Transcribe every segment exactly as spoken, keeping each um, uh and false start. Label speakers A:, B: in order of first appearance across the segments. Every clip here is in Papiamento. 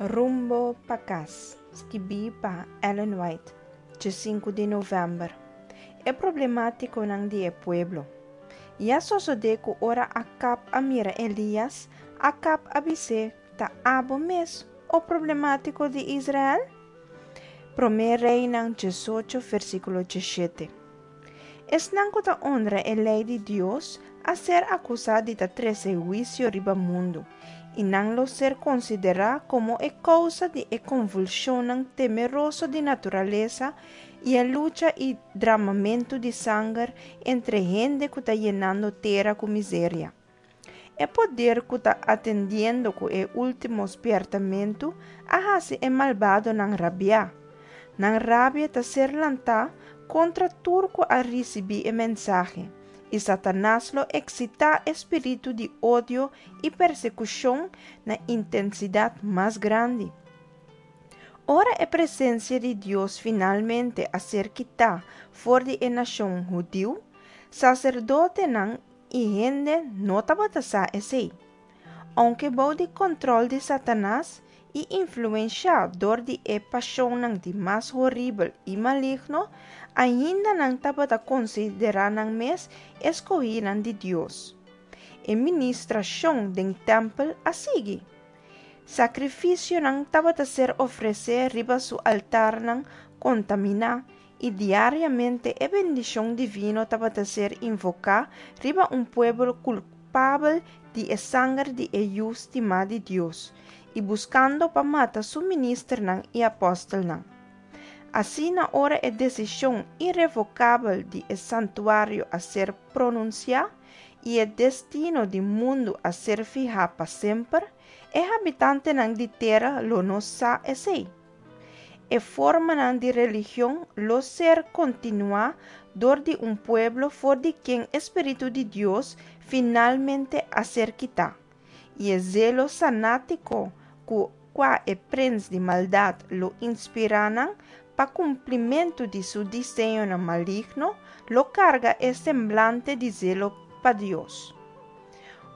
A: Rumbo pa Kas, skibí pa Ellen White, sinku di novèmber. E problemátikonan di e pueblo. I a sosodé ku ora Akab a mira Elias, Akab a bis'é, Ta abo mes, o problemátiko di Israel? Promé Reinan diesocho, versíkulo diesshete. Esnan ku ta honra e lei di Dios a ser akusá di ta trese huisio riba mundu, i nan lo ser konsiderá komo e kousa di e konvulshonnan temeroso di naturalesa i e lucha i dramamentu di sanger entre hende ku ta yenando tera ku miseria. E poder ku ta atendiendo ku e último spièrtamentu a hasi e malbadonan rabia. Nan rabia ta ser lantá kontra tur ku a risibí e mensahe, i Satanas lo eksitá e spiritu di odio i persekushon na intensidat mas grandi. Ora e presensia di Dios finalmente a ser kitá for di e nashon hudiu, saserdotenan i hende no tabata sa esei. Ounke bou di kontròl di Satanas i influensiá dor di e pashonnan di mas horibel i maligno, ainda nan tabata konsiderá nan mes eskohínan di Dios. E ministrashon den tèmpel a sigui. Sakrifisionan tabata ser ofresé riba su altarnan kontaminá i diariamente e bendishon divino tabata ser invoká riba un pueblo kulpabel di e sanger di e Yu stimá di Dios i buskando pa mata su ministernan i apòstelnan. Asina ora e desishon irevokabel di e santuario a ser pronunsiá i e destino di mundu a ser fihá pa semper, e habitantenan di tera lo no sa esei. E formanan di religion lo ser kontinuá dor di un pueblo for di ken e Spiritu di Dios finalmente a ser kitá, i e zelo sanátiko ku kua e prens di maldat lo inspirá nan pa kumplimentu di su diseñonan maligno lo karga e semblante di zelo pa Dios.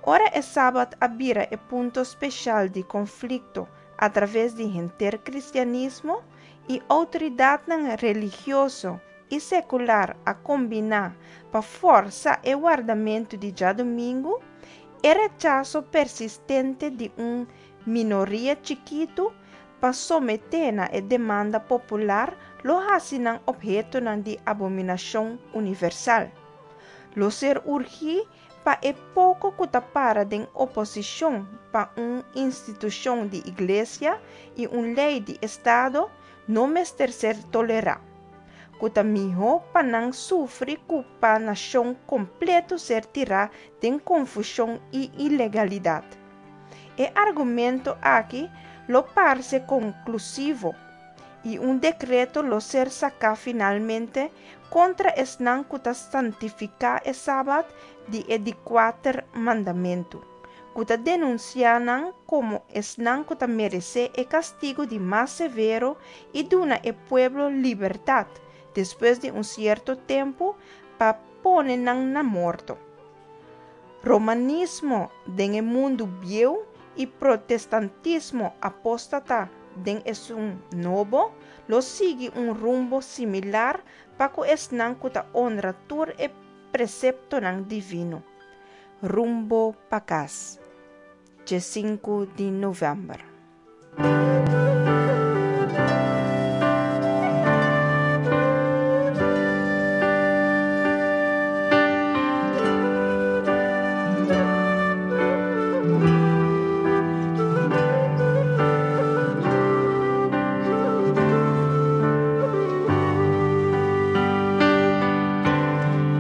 A: Ora e sabat a bira e punto spesial di konflikto atraves di henter kristianismo i outoridatnan religioso i sekular a kombiná pa forsa e wardamentu di djadumingu, e rechaso persistente di un minoria chikitu pa someté na e demanda popular lo hasi nan ophetonan di abominashon universal. Lo ser urgí pa e poko ku ta para den oposishon pa un institushon di iglesia i un lei di estado no mester ser tolerá, ku ta mihó pa nan sufri ku pa nashon kompleto ser tirá den konfushon i ilegalidat. E argumento aki lo parse konklusivo i un dekreto lo ser saká finalmente kontra esnan ku ta santifiká e sabat di e di kuater mandamentu, ku ta denunsiá nan komo esnan ku ta meresé e kastigu di mas severo i duna e pueblo libertat despues di un sierto tempu pa pone nan na morto. Romanismo den e mundu bieu i protestantismo apóstata den esun nobo lo sigui un rumbo similar pa ku esnan ku ta honra tur e preseptonan divino. Rumbo pa Kas, sinku di novèmber.